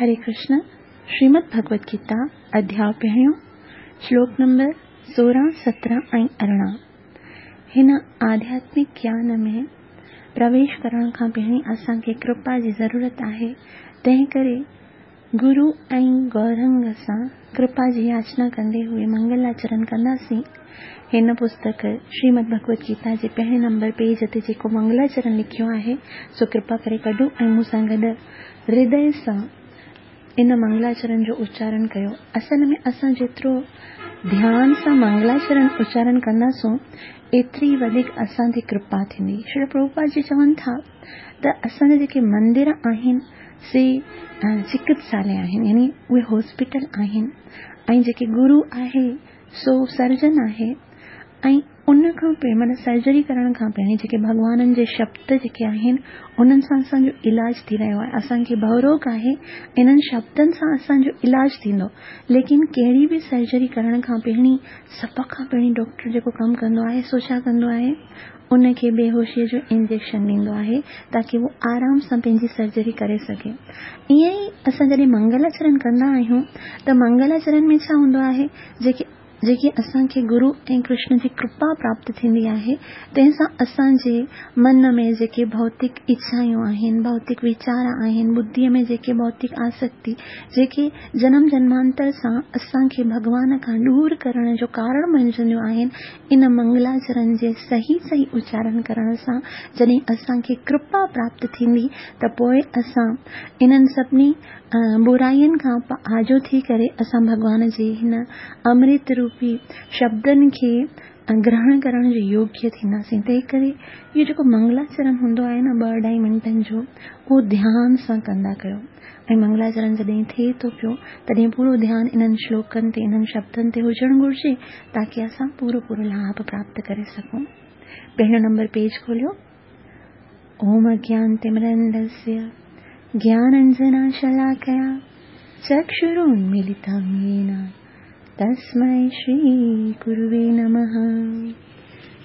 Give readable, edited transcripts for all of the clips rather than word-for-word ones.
هري ڪرشن، شريمد ڀڳوت گيتا، اڌياء پهريون، شلوڪ نمبر 16، 17 ۽ 18. هن آڌياتمڪ گيان ۾ پرويش ڪرڻ کان پهرين اسان کي ڪرپا جي ضرورت آهي، تنهن ڪري گرو ۽ گورنگ سان ڪرپا جي ياچنا ڪندي هوئي منگلاچرن ڪنداسين. هن پستڪ شريمد ڀڳوت گيتا جي پهرين نمبر پيج تي جيڪو منگلاچرن لکيو آهي، سو ڪرپا ڪري ڪڍو ۽ مون سان گڏ هردي سان ان منگلاچرن جو اچارن ڪيو. اصل ۾ اسان جيترو ڌيان سان منگلاچرن اچارن ڪنداسون، ايتري ئي وڌيڪ اسان تي ڪرپا ٿيندي. شريل پرڀوپاد جي چون ٿا ته اسان جا جيڪي مندر آهن سي چڪتساليه آهن يعني اهي هاسپيٽل آهن ۽ جيڪي گرو آهي سو سرجن آهي ۽ ان کان پهرين معنيٰ سرجري ڪرڻ کان پهرين جيڪي ڀڳوانن جي شبد جيڪي آهن انهن سان اسان جو علاج ٿي رهيو آهي اسان کي ڀؤروڳ آهي انهن شبدن سان اسان جو علاج ٿيندو ليڪن ڪهڙي به سرجري ڪرڻ کان پهرين سڀ کان پهرين ڊاڪٽر جيڪو ڪم ڪندو آهي سو ڇا ڪندو آهي ان کي بيهوشيء جو انجيڪشن ڏيندو آهي تاڪي هو آرام سان پنهنجي سرجري ڪري سگهي ائين ئي اسان جڏهن منگلاچرن ڪندا آهيون ته منگلاچرن ۾ ڇا هوندو آهي جيڪي جيڪي اسان کي گرو ۽ ڪرشن جي ڪرپا پراپت ٿيندي آهي، تنهن سان اسان جي من ۾ جيڪي ڀوتڪ اڇايون آهن، ڀوتڪ ويچار آهن، ٻڌيء ۾ جيڪي ڀوتڪ آسڪتي، جيڪي جنم جنمانتر سان اسان کي ڀڳوان کان ڏور ڪرڻ جو ڪارڻ بڻجنديون آهن، ان منگلاچرن جي صحيح صحيح اچارن ڪرڻ سان جڏهن اسان کي ڪرپا پراپت ٿيندي ته پوء اسان انهن سڀني براين کان آجو ٿي ڪري اسان ڀڳوان جي هن امرت روپي شبدن کي گرهڻ ڪرڻ جي يوگيه ٿينداسين. تنهن ڪري اهو جيڪو منگلاچرن هوندو آهي نه ٻه اڍائي منٽن جو اهو ڌيان سان ڪندا ڪيو ۽ منگلاچرن جڏهن ٿئي ٿو پيو تڏهن پورو ڌيان انهن شلوڪن تي انهن شبدن تي هجڻ گهرجي تاڪي اسان پورو پورو لاڀ پراپت ڪري سگهون. پهريون نمبر پيج کوليو. اوم اجنانتمرندسيه گيانانجناشلاڪيا چڪشرونميلتم يين تسمي شري گروي نمه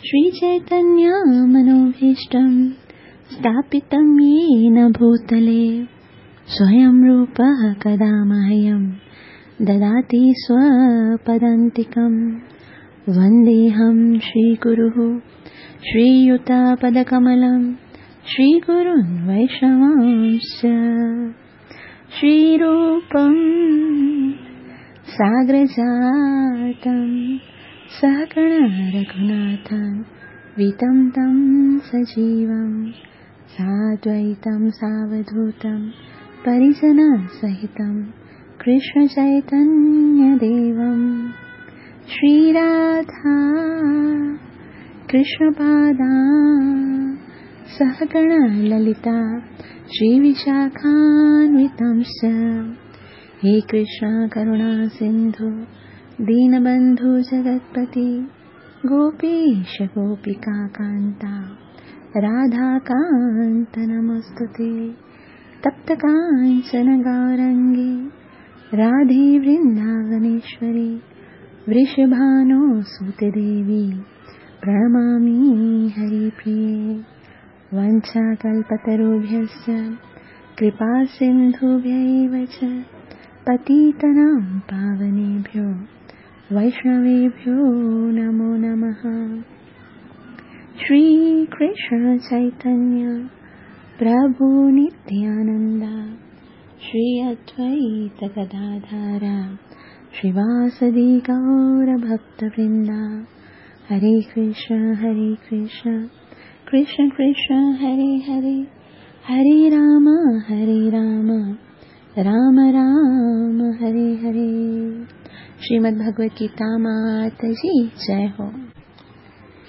شري چيتنيه منوڀيشٽم ستاپتم يين ڀوتلي سويم روپه ڪدا مهيم دداتي سوپدانتڪم ونديهم شري گروه श्रीयुतापदकमलं श्रीगुरुन् वैष्णवांश्च श्रीरूपं साग्रजातं सहगण रघुनाथं वितं तं सजीवं साद्वैतं सावधूतं परिजनसहितं कृष्णचैतन्यदेवं श्रीराधा कृष्णपादा सहगण ललिता श्रीविशाखान्वितांश्च हे कृष्ण करुणा सिन्धु दीनबन्धु जगत्पति गोपीश गोपिका कान्ता राधाकान्त नमोऽस्तु ते। तप्त काञ्चन गौरङ्गी राधे वृन्दावनेश्वरी वृषभानुसुते देवी प्रणमामि हरिप्रिये। वञ्छाकल्पतरुभ्यश्च कृपासिन्धुभ्यैव च पतितानां पावनेभ्यो वैष्णवेभ्यो नमो नमः। श्री कृष्ण चैतन्य प्रभु नित्यानन्द श्री अद्वैत गदाधर श्रीवासदि गौरभक्तवृन्द। हरे कृष्ण हरे कृष्ण कृष्ण कृष्ण हरे हरे हरे राम हरे राम राम राम हरे हरे। श्रीमद् भगवत गीता मात जी जय हो।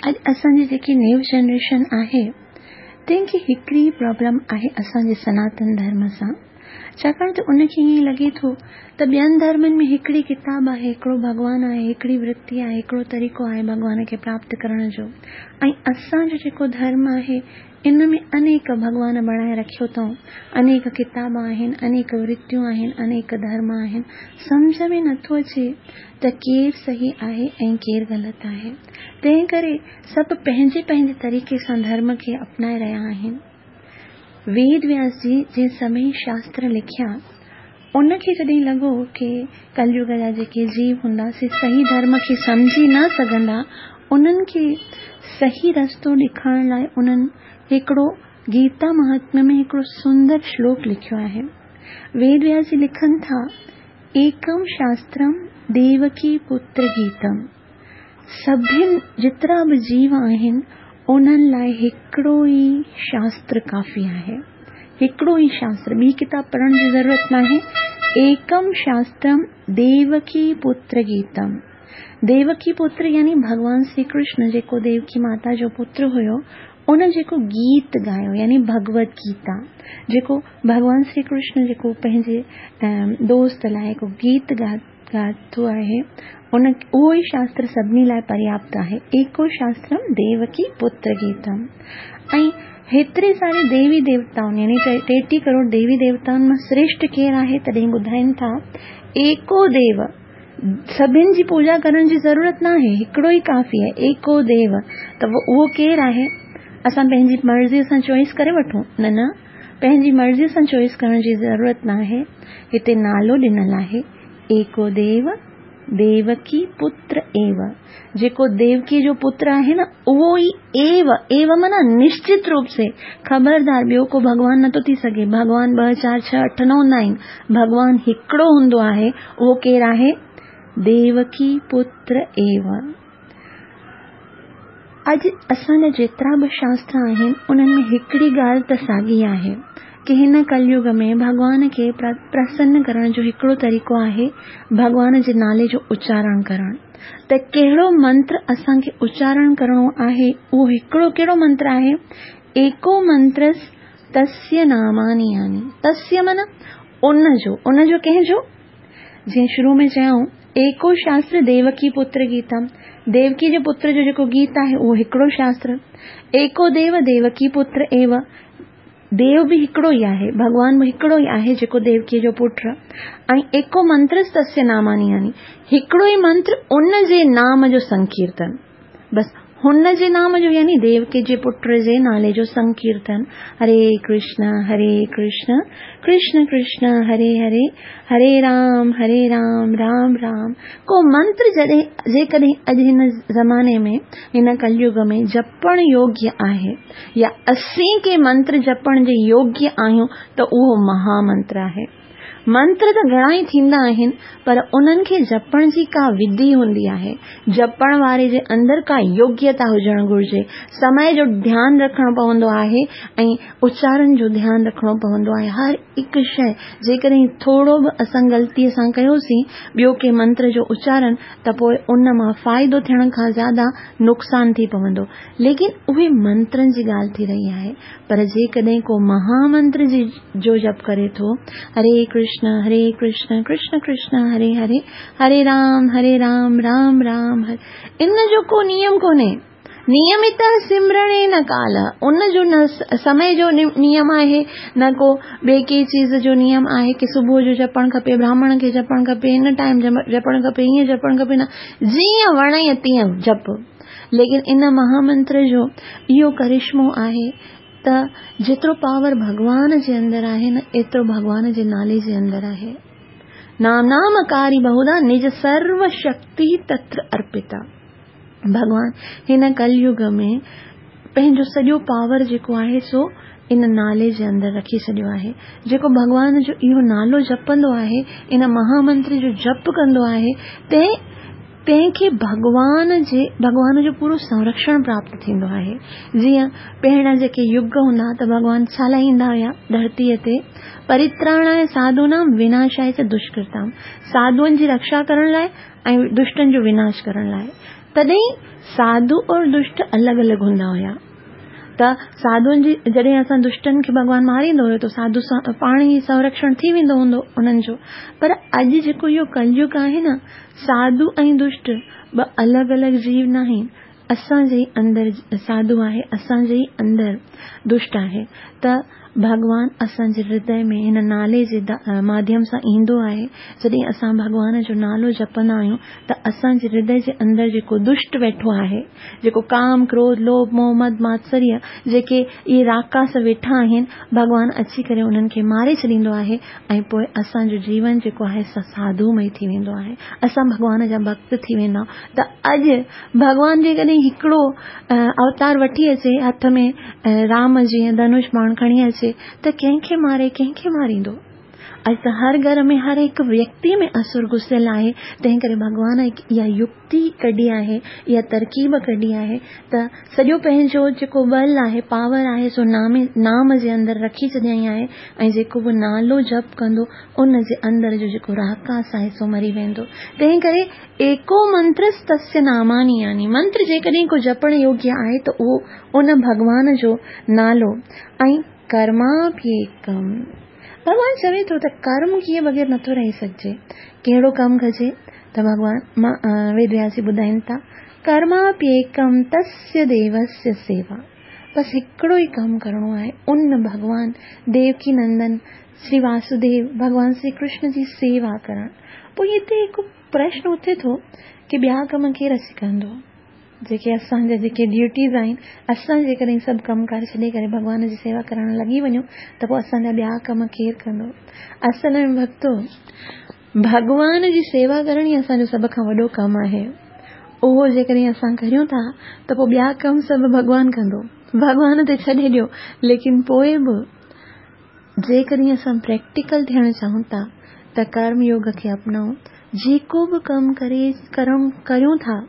अॼु असांजी जेकी न्यू जनरेशन आहे तंहिंखे हिकिड़ी प्रॉब्लम आहे असांजे सनातन धर्म सां, छाकाणि त उनखे ईअं लॻे थो त ॿियनि धर्मनि में हिकिड़ी किताब आहे, हिकिड़ो भॻवान आहे, हिकिड़ी वृत्ति आहे, हिकिड़ो तरीक़ो आहे भॻवान खे प्राप्त करण जो, ऐं असांजो जेको धर्म आहे इन में अनेक भॻवान बणाए रखियो अथऊं, अनेक किताब आहिनि, अनेक वृत्तियूं आहिनि, अनेक धर्म आहिनि। सम्झ में नथो अचे त केरु सही आहे ऐं केरु ग़लति आहे। तंहिं करे सभु पंहिंजे पंहिंजे तरीक़े सां धर्म खे अपनाए रहिया आहिनि। वेद व्यास जी जंहिं सभई शास्त्र लिखिया, ان کي جڏهن لڳو ڪي ڪليگ جا جيڪي جيو هوندا سي صحيح ڌرم کي سمجهي نه سگهندا، انهن کي صحيح رستو ڏيکارڻ لاء انهن هڪڙو گيتا مهاتميه ۾ هڪڙو سندر شلوڪ لکيو آهي. ويد وياس جي لکن ٿا، ايڪم شاسترم ديوڪي پتر گيتم، سڀن جيترا به جيو آهن انهن لاء هڪڙو ئي شاستر ڪافي آهي. هڪڙو ئي شاستر، ٻي ڪتاب پڙهڻ جي ضرورت ناهي. ايڪم شاسترم ديوڪي پتر گيتم. ديوڪي پتر يعني ڀڳوان شري ڪرشن جيڪو ديوڪي ماتا جو پتر هيو، ان جيڪو گيت ڳايو يعني ڀڳوت گيتا، جيڪو ڀڳوان شري ڪرشن جيڪو پنهنجي دوست لاء هڪ گيت ڳاتو آهي، ان اهو ئي شاستر سڀني لاء پرياپت آهي، ايڪو شاسترم ديوڪي پتر گيتم. ۽ هيتري ساري ديوي ديوتائن يعني 33 ڪروڙ ديوي ديوتائن مان سريشٽ ڪير آهي تڏهن ٻڌائين ٿا ايڪو ديو، سڀن جي پوڄا ڪرڻ جي ضرورت ناهي، هڪڙو ئي ڪافي آهي، ايڪو ديو. ته اهو ڪير آهي؟ اسان پنهنجي مرضي سان چوائس ڪري وٺون؟ نه نه، پنهنجي مرضي سان چوائس ڪرڻ جي ضرورت ناهي، هتي نالو ڏنل آهي، ايڪو ديو ديوڪي پتر ايو، جيڪو ديوڪي جو پتر آهي نه اهو ئي ايو، ايو معنيٰ نشچت روپ سي، خبردار ٻيو ڪو ڀڳوان نٿو ٿي سگهي، ڀڳوان ٻه چار ڇهه اٺ نه هوندا آهن، ڀڳوان هڪڙو هوندو آهي، اهو ڪير آهي؟ ديوڪي پتر ايو. اڄ اسان جا جيترا به شاستر آهن انهن ۾ هڪڙي ڳالهه ته ساڳي آهي ڪي هن ڪليگ ۾ ڀڳوان کي پرسن ڪرڻ جو هڪڙو طريقو آهي ڀڳوان جي نالي جو اچارڻ ڪرڻ ته ڪهڙو منتر اسان کي اچارڻ ڪرڻو آهي اهو هڪڙو ڪهڙو منتر آهي ايڪو منترس تسيه ناماني يعني تسيه معنيٰ ان جو ان جو ڪنهن جو جيئن شروع ۾ چيائون، ايڪو شاستر ديوڪي پتر گيتا، ديوڪي جي پتر جو جيڪو گيت آهي اهو هڪڙو شاستر، ايڪو ديو ديوڪي پتر ايو، ديو به هڪڙو ئي آهي، ڀڳوان به هڪڙو ئي آهي جيڪو ديوڪي جو پٽ، ۽ ايڪو منترس تسيه ناماني يعني هڪڙو ئي منتر ان جي نام جو سنڪيرتن. بس هن جي نام جو يعني ديوڪي جي پٽ جي نالي جو سنڪيرتن هري ڪرشن هري ڪرشن ڪرشن ڪرشن هري هري هري رام هري رام رام رام ڪو منتر جڏهن جيڪڏهن اڄ هن زماني ۾ هن ڪليگ ۾ جپڻ يوگيه آهي يا اسين ڪي منتر جپڻ جي يوگيه آهيون ته اهو مها منتر آهي. منتر ته گهڻا ئي ٿيندا آهن پر انهن کي جپڻ جي ڪا وڌي هوندي آهي. جپڻ واري جي اندر ڪا يوگيتا هجڻ گهرجي. سمي جو ڌيان رکڻو پوندو آهي ۽ اچارن جو ڌيان رکڻو پوندو آهي. هر هڪ شيء جيڪڏهن ٿورو به اسان غلطيء سان ڪيوسين ٻيو ڪنهن منتر جو اچارن ته پوء ان مان فائدو ٿيڻ کان زياده نقصان ٿي پوندو. ليڪن اهي منترن جي ڳالهه ٿي رهي آهي. پر جيڪڏهن ڪو مها منتر جي جو جپ ڪري ٿو، هري ڪرشن هري ڪرشن ڪرشن ڪرشن هري هري، هري رام هري رام رام رام هري ان جو ڪو نيم ڪونهي. نيمت سمرڻي نه ڪال، ان جو نه سمي جو نيم آهي نه ڪو ٻئي ڪنهن چيز جو نيم آهي ڪي صبح جو جپڻ کپي، براهمڻ کي جپڻ کپي، هن ٽائيم جپڻ کپي، هيئن جپڻ کپي نه، جيئن وڻئي تيئن جپ. ليڪن ان مها منتر جو اهو ڪرشمو آهي ته جيترو پاور ڀڳوان جي اندر آهي نه ايترو ڀڳوان جي نالي جي اندر آهي. نام نام ڪاري بهودا نج سرو شڪتي تتر ارپتا. ڀڳوان هن ڪليگ ۾ پنهنجو سڄو پاور جيڪو آهي سو ان نالي جي اندر رکي ڇڏيو آهي. جيڪو ڀڳوان جو اهو نالو جپندو آهي، ان مها منتر جو جپ ڪندو آهي، تنهن تنهن کي ڀڳوان جي ڀڳوان جو پورو سنرڪشڻ پراپت ٿيندو آهي. جيئن پهريان جيڪي يگ هوندا ته ڀڳوان ڇا لاء ايندا هيا ڌرتيء تي؟ پريتراڻاء ساڌونام وناشاء چ دشڪرتام ساڌوئن جي رڪشا ڪرڻ لاء ۽ دشٽن جو وناش ڪرڻ لاء. تڏهن ساڌو اور دشٽ الڳ الڳ هوندا هيا. ته ساڌوئن جي جڏهن اسان دشٽن کي ڀڳوان ماريندو هيو ته ساڌو سان پاڻ ئي سنرڪشڻ ٿي ويندو هوندو انهن جو پر اڄ جيڪو اهو ڪليگ آهي نه ساڌو ۽ دشٽ ٻه الڳ الڳ جيو ناهن اسان جي ئي اندر ساڌو آهي اسان جي ئي اندر دشٽ آهي ته. ڀڳوان اسان جي هردي ۾ هن نالي جي ماڌيم سان ايندو آهي. جڏهن اسان ڀڳوان جو نالو جپندا آهيون ته اسان جي هردي جي اندر جيڪو دشٽ ويٺو آهي، جيڪو ڪام، ڪروڌ، لوڀ، موهه، مد، ماتسريه جيڪي اهي راڪاس ويٺا آهن، ڀڳوان اچي ڪري انهن کي ماري ڇڏيندو آهي ۽ پوء اسان جو جيون جيڪو آهي سو ساڌومئي ٿي ويندو آهي. اسان ڀڳوان جا ڀڳت ٿي ويندا آهيون ته اڄ ڀڳوان جيڪڏهن هڪڙو اوتار وٺي اچي هٿ ۾ رام جيئن ڌنش باڻ کڻي اچي ته ڪنهن کي ماري ڪنهن کي ماريندو؟ اڄ ته هر گهر ۾ هر هڪ ويڪتي ۾ اسر گهسيل آهي، تنهن ڪري ڀڳوان هڪ اها يڪتي ڪڍي آهي، اها ترڪيب ڪڍي آهي ته سڄو پنهنجو جيڪو ٻل آهي، پاور آهي، سو نامي نام جي اندر رکي ڇڏيائين آهي ۽ جيڪو به نالو جپ ڪندو ان جي اندر جو جيڪو راڪاس آهي سو مري ويندو. تنهن ڪري ايڪو منترستस्य ناماني يعني منتر جيڪڏهن ڪو جپڻ يوگيه آهي ته اهو ان ڀڳوان جو نالو ۽ ڪرماپيڪم. ڀڳوان چوي ٿو ته ڪرم ڪيئي بغير نٿو رهي سگهجي. ڪهڙو ڪم ڪجي ته ڀڳوان ويد وياس جي ٻڌائين ٿا ڪرماپيڪم تسيه ديوسيه سيوا. بس هڪڙو ئي ڪم ڪرڻو آهي ان ڀڳوان ديوڪي نندن شري واسوديو ڀڳوان شري ڪرشن جي سيوا ڪرڻ. پوء هتي هڪ پرشن اٿي ٿو ڪي ٻيا ڪم ڪير اچي ڪندو؟ جيڪي اسان جا جيڪي ڊيوٽيز آهن، اسان جيڪڏهن سڀ ڪم ڪار ڇڏي ڪري ڀڳوان جي سيوا ڪرڻ لڳي وڃون ته پوء اسان جا ٻيا ڪم ڪير ڪندو؟ اصل ۾ ڀڳتو، ڀڳوان جي سيوا ڪرڻ ئي اسان جو سڀ کان وڏو ڪم آهي. اهو جيڪڏهن اسان ڪريون ٿا ته پوء ٻيا ڪم سڀ ڀڳوان ڪندو. ڀڳوان تي ڇڏي ڏيو، ليڪن پوء به جيڪڏهن اسان پريڪٽيڪل ٿيڻ چاهيون ٿا ته ڪرم يوگ کي اپنائون. جيڪو به ڪم ڪري ڪرم ڪريون ٿا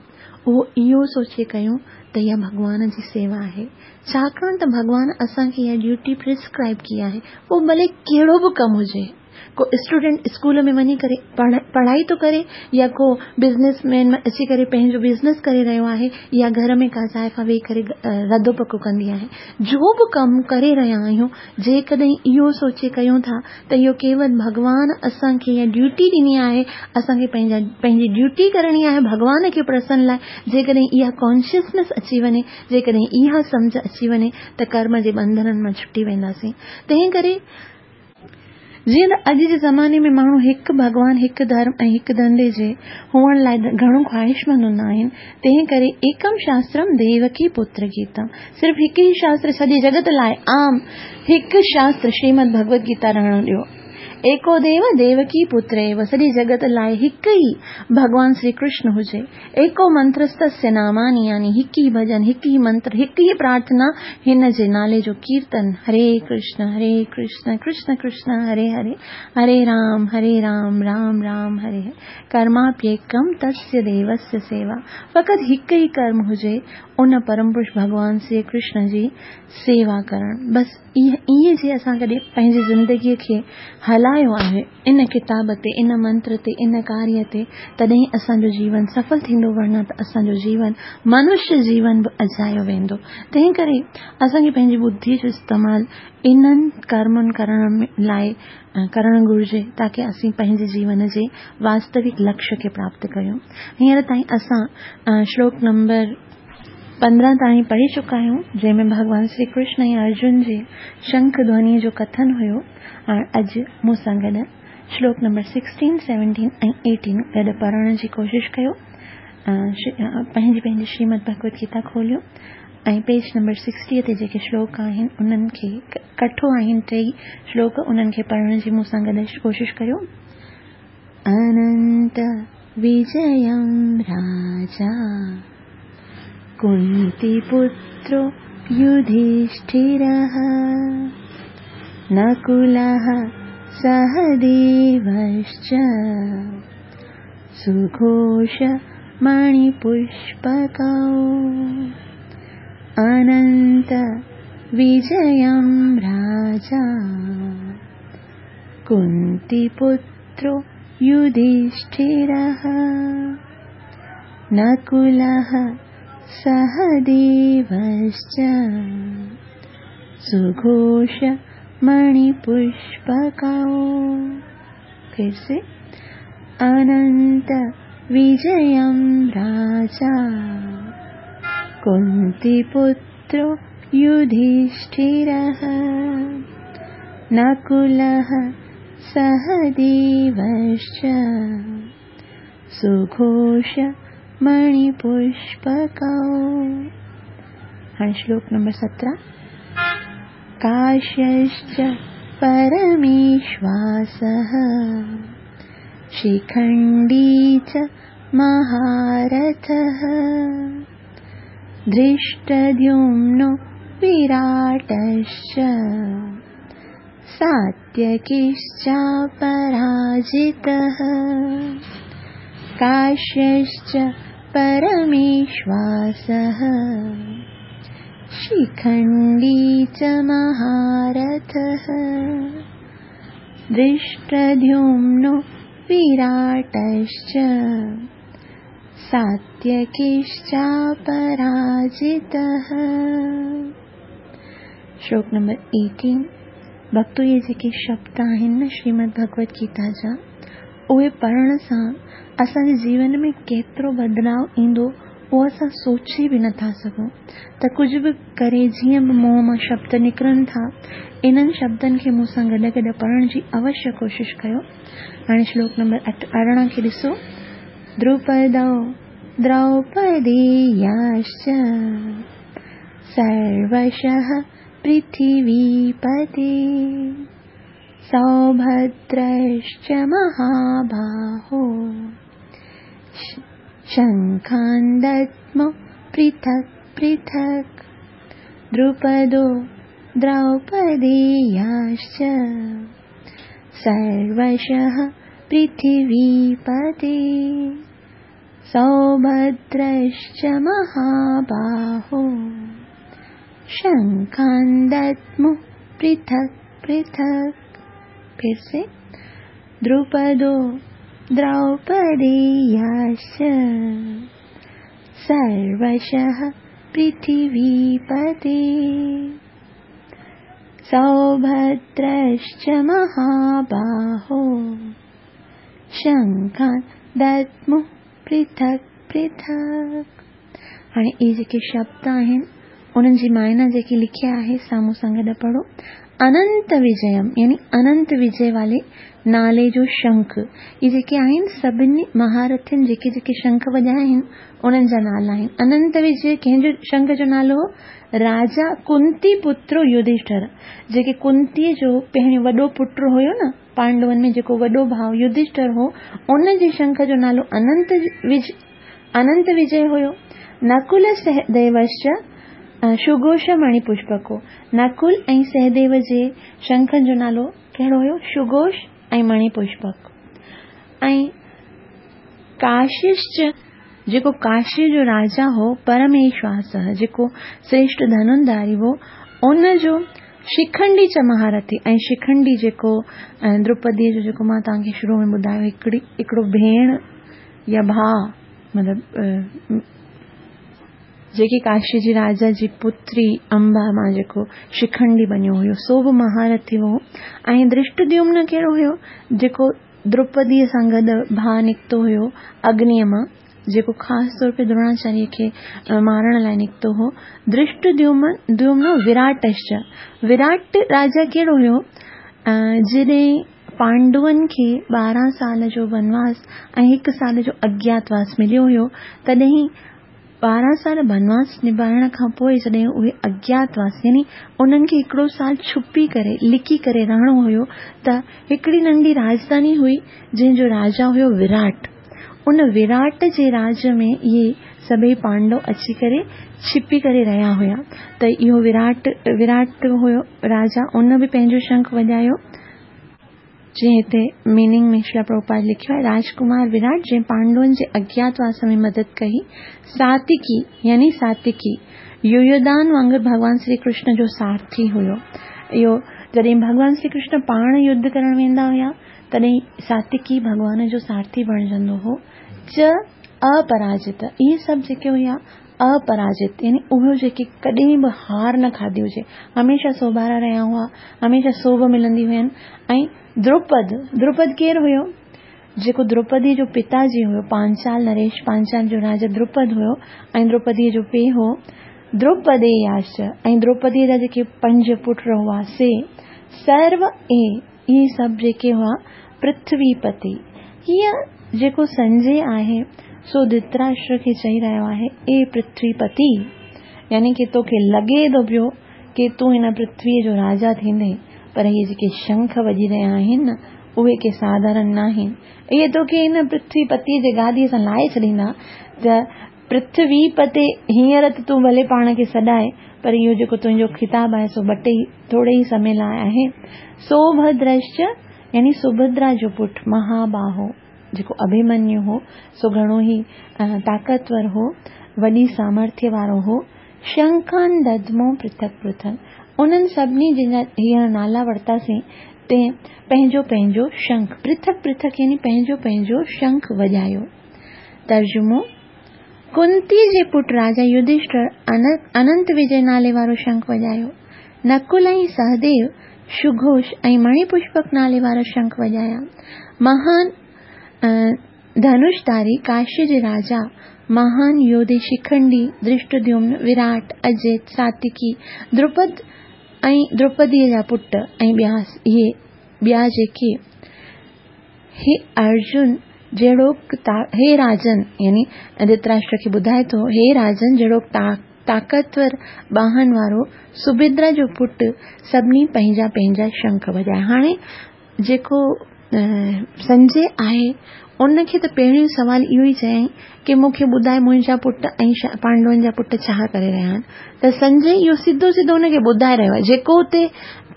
اهو اهو سوچي ڪيون ته اها ڀڳوان جي سيوا آهي. ڇاڪاڻ ته ڀڳوان اسان کي اها ڊيوٽي پرسڪرائيب ڪئي آهي پوء ڀلي ڪهڙو به ڪم هجي. ڪو اسٽوڊنٽ اسڪول ۾ وڃي ڪري پڙهائي ٿو ڪري يا ڪو بزنس مين اچي ڪري پنهنجو بزنس ڪري رهيو آهي يا گهر ۾ ڪا زائفا ويهي ڪري رڌو پڪو ڪندي آهي. جو به ڪم ڪري رهيا آهيون جيڪڏهن اهو سوچي ڪيون ٿا ته اهو ڪيول ڀڳوان اسان کي اها ڊيوٽي ڏني آهي، اسان کي پنهنجا پنهنجي ڊيوٽي ڪرڻي آهي ڀڳوان کي پرسن لاء، جيڪڏهن اها ڪانشسنس اچي وڃي، جيڪڏهن اها سمجهه اچي وڃي ته ڪرم جي ٻنڌنن مان ڇٽي وينداسين. تنهن ڪري. جيئن ته اڄ جي زماني ۾ ماڻهو هڪ ڀڳوان، هڪ ڌرم ۽ هڪ ڌنڌي جي هئڻ لاء گهڻو خواهشمند هوندا آهن، تنهن ڪري ايڪم شاسترم ديوڪي پتر گيتم صرف هڪ ئي شاستر سڄي جڳت لاء عام هڪ شاستر شريمد ڀڳوت گيتا رهڻ ڏيو. ايڪو ديو ديوڪي پتر ايو سڄي جڳت لاء هڪ ئي ڀڳوان شري ڪرشن هجي. ايڪو منترستسيه ناماني يعني هڪ ئي ڀڄن، هڪ ئي منتر، هڪ ئي پرارٿنا هن جي نالي جو ڪيرتن هري ڪرشن هري ڪرشن ڪرشن ڪرشن هري هري هري رام هري رام رام رام هري هري ڪرماپيڪم تسيه ديوسيه سيوا فقط هڪ ئي ڪرم هجي ان پرم پرش ڀڳوان شري ڪرشن جي سيوا ڪرڻ بس ائين جي اسان ڪڏهن پنهنجي زندگي کي هلايو آهي ان ڪتاب تي ان منتر تي ان ڪاريه تي تڏهن اسان جو جيون سڦل ٿيندو ورنه ته اسان جو جيون منشيه جيون به اجايو ويندو تنهن ڪري اسان کي پنهنجي ٻڌي جو استعمال انهن ڪرمن ڪرڻ لاء ڪرڻ گهرجي تاڪه اسين پنهنجي جيون جي واستوڪ لڪشيه کي پراپت ڪريون هينئر تائين اسان شلوڪ نمبر 15 تائين پڙهي چڪا آهيون جنهن ۾ ڀڳوان شري ڪرشن ۽ ارجن جي شنک ڌوني جو ڪٿن هيو هاڻ اڄ مون سان گڏ شلوڪ نمبر 16، 17 ۽ 18 گڏ پڙهڻ جي ڪوشش ڪيو. پنهنجي پنهنجي شريمد ڀڳوت گيتا کوليو ۽ پيج نمبر 60 تي جيڪي شلوڪ آهن انهن کي ڪٺو آهن ٽيئي شلوڪ انهن کي پڙهڻ جي مون سان گڏ ڪوشش ڪريو. اننت وجيم راجا ڪنتي پترو يڌشٺره نڪلः سهديوश्च سگهوش مڻيپشپڪو اننت وجيم راجا ڪنتي پترو يڌشٺره نڪلः سهديوश्च سگهوش مڻيپشپڪو फिर से अनंत विजयम राजा कुंती पुत्रो युधिष्ठिरः नकुलः सहदेवश्च सुघोष मणिपुष्पकौ। हाणे श्लोक नंबर 17। काश्यश्च परमेश्वासः शिखण्डी च महारथः धृष्टद्युम्नो विराटश्च सात्यकिश्चापराजितः। काश्यश्च परमेश्वासः शिखण्डी च महारथः धृष्टद्युम्नो विराटश्च सात्यकिश्चापराजितः। श्लोक नंबर 18। भक्तो, इहे जेके शब्द आहिनि न श्रीमद् भगवत गीता जा, उहे पढ़ण सां असांजे जीवन में केतिरो बदिलाव ईंदो उहो असां सोचे बि नथा सघूं। त कुझु बि करे जीअं बि मुंहं मां शब्द निकिरनि था, इन्हनि शब्दनि खे मूं सां गॾु गॾु पढ़ण जी अवश्य कोशिशि कयो। हाणे श्लोक नंबर 18 खे ॾिसो। द्रुपदौ द्रौपदेयाश्च सर्वशः पृथिवीपते सौभद्रश्च महाबाहो शङ्खान् दद्मौ पृथक् पृथक्। द्रुपदो द्रौपदेयाश्च सर्वशः पृथिवीपते सौभद्रश्च महाबाहो शङ्खान् दद्मौ पृथक् पृथक्। फिर से द्रुपदो द्रौपदेयाश्च सर्वशः पृथिवीपते सौभद्रश्च महाबाहो शङ्खान् दद्मौ पृथक् पृथक्। हाणे इहे जेके शब्द आहिनि उन्हनि जी मायना जेकी लिखियल आहे सा मूं सां गॾु पढ़ो। अनंत विजयम यानी अनंत विजय वाले नाले जो शंख, इहे जेके आहिनि सभिनी महारथियुनि जेके जेके शंख वॼाया आहिनि उन्हनि जा नाला आहिनि। अनंत विजय कंहिंजो शंख जो नालो हो? राजा कुंती पुत्र युधिष्ठिर, जेके कुंतीअ जो पहिरियों वॾो पुट हुयो न पांडवनि में, जेको वॾो भाउ युधिष्ठिर हो, उनजे शंख जो नालो अनंत विजय हुयो। नकुल सहदेवश्च सुघोष मणिपुष्पको, नकुल ऐं सहदेव जे शंखनि जो नालो कहिड़ो हुयो? सुघोष ऐं मणिपुष्पक। ऐं काशिश्च जेको काशी जो राजा हो परमेश्वास, जेको श्रेष्ठ धनुर्धारी हो, उनजो शिखंडी च महारथी। ऐं शिखंडी जेको द्रौपदीअ जो जेको मां तव्हांखे शुरू में ॿुधायो, हिकिड़ो भेण या भाउ, मतिलबु जेके काशी जी राजा जी पुत्री अंबा मां जेको शिखंडी बणियो हुयो, सो बि महारथी हो। ऐं धृष्टद्युम्न कहिड़ो हुयो? जेको द्रौपदीअ सां गॾु भाउ निकितो हुयो अग्नीअ मां, जेको ख़ासि तौर ते द्रोणाचार्य खे मारण लाइ निकितो हो। धृष्टद्युम्न विराटश्च, विराट राजा कहिड़ो हुयो? जॾहिं पांडवनि खे 12 साल जो बनवास ऐं 1 साल जो अज्ञातवास मिलियो हुयो, तॾहिं 12 साल बनवास निभाइण खां पोइ जॾहिं उहे अज्ञातवास यानी उन्हनि खे 1 साल छुपी करे लिकी करे रहणो हुयो, त हिकिड़ी नंढी राजधानी हुई जंहिंजो राजा हुयो विराट। उन विराट जे राज में इहे सभई पांडव अची करे छिपी करे रहिया हुया। त इहो विराट हुयो राजा, उन बि पंहिंजो शंख वॼायो। जीअं हिते मीनिंग में श्रील प्रभुपाद लिखियो आहे, राजकुमार विराट जंहिं पांडवनि जे अज्ञातवास में मदद कई, सातिकी यानी सातिकी युयोदान वांगुरु भॻवान श्री कृष्ण जो सारथी हुयो। इहो जॾहिं भॻवान श्री कृष्ण पाण युद्ध करण वेंदा हुया, तॾहिं सातिकी भॻवान जो सारथी बणिजंदो हो। च अपराजित, इहे सभु जेके हुया अपराजित यानी उहे जेके कॾहिं बि हार न खाधी हुजे, हमेशह सोभारा रहिया हुआ, हमेशह सोभ मिलंदी हुयनि। ऐं द्रुपद केरु हुयो? जेको द्रौपदी जो पिताजी हुयो, पांचाल नरेश, पांचाल जो राजा द्रुपद हुयो ऐं द्रौपदीअ जो पीउ हो द्रौपदेयाश्च। ऐं द्रौपदीअ जा जेके 5 पुट हुआ से سرو اي اهي سڀ جيڪي هئا پرٿوي پتي. هيء جيڪو سنجي آهي سو ڌرتراشٽر کي چئي رهيو آهي، اي پرٿوي پتي! يعني ڪي توکي لڳي ٿو پيو ڪي تون هن پرٿويء جو راجا ٿيندين، پر اهي جيڪي شنک وڄي رهيا آهن نه، اهي ڪي ساڌارڻ ناهن. اهي توکي هن پرٿوي پتيء جي گاديء سان لاهي ڇڏيندا ته پرٿوي پتي هينئر ته تون ڀلي پاڻ کي سڏائي، پر اهو جيڪو تنهنجو خطاب آهي سو ٻٽي ٿوري ئي سمي لاء آهي. سوڀدرشچ يعني سڀدرا جو پٽ مهاباهو جيڪو اڀيمنيو هو، سو گهڻو ئي طاقتور هو، وڏي سامرٿيه وارو هو. شنکان ددمو پرٿڪ پرٿڪ، انهن سڀني جن جا هينئر نالا ورتاسين، تنهن پنهنجو پنهنجو شنک، پرٿڪ پرٿڪ يعني پنهنجو پنهنجو شنک وڄايو. ترجمو، ڪنتي جي پٽ راجا يڌشٺر اننت وجي نالي وارو شنک وڄايو. نڪل ۽ سهديو شگهوش ۽ مڻي پشپڪ نالي وارا شنک وڄايا. مهان ڌنوشڌاري ڪاشي جي راجا مهان يوڌي شکنڊي، ڌرشٽديومن، وراٽ، اجيت، ساتيڪي، دروپد ۽ دروپديء جا پٽ ۽ ٻيا اهي ٻيا جيڪي هي ارجن جهڙوڪ هي راجن يعني ڌرتراشٽر کي ٻڌائي ٿو هي راجن جهڙوڪ طاقتور ٻانهن وارو سڀدرا جو پٽ سڀني پنهنجا پنهنجا شنک وڄايا. هاڻي جيڪو سنجي آهي ان کي ته پهريون سوال اهو ئي چيائين ڪي مون کي ٻڌاء منهنجا پٽ ۽ پانڊون جا پٽ ڇا ڪري رهيا آهن ته سنجي اهو سڌو سڌو ان کي ٻڌائي رهيو آهي جيڪو اتي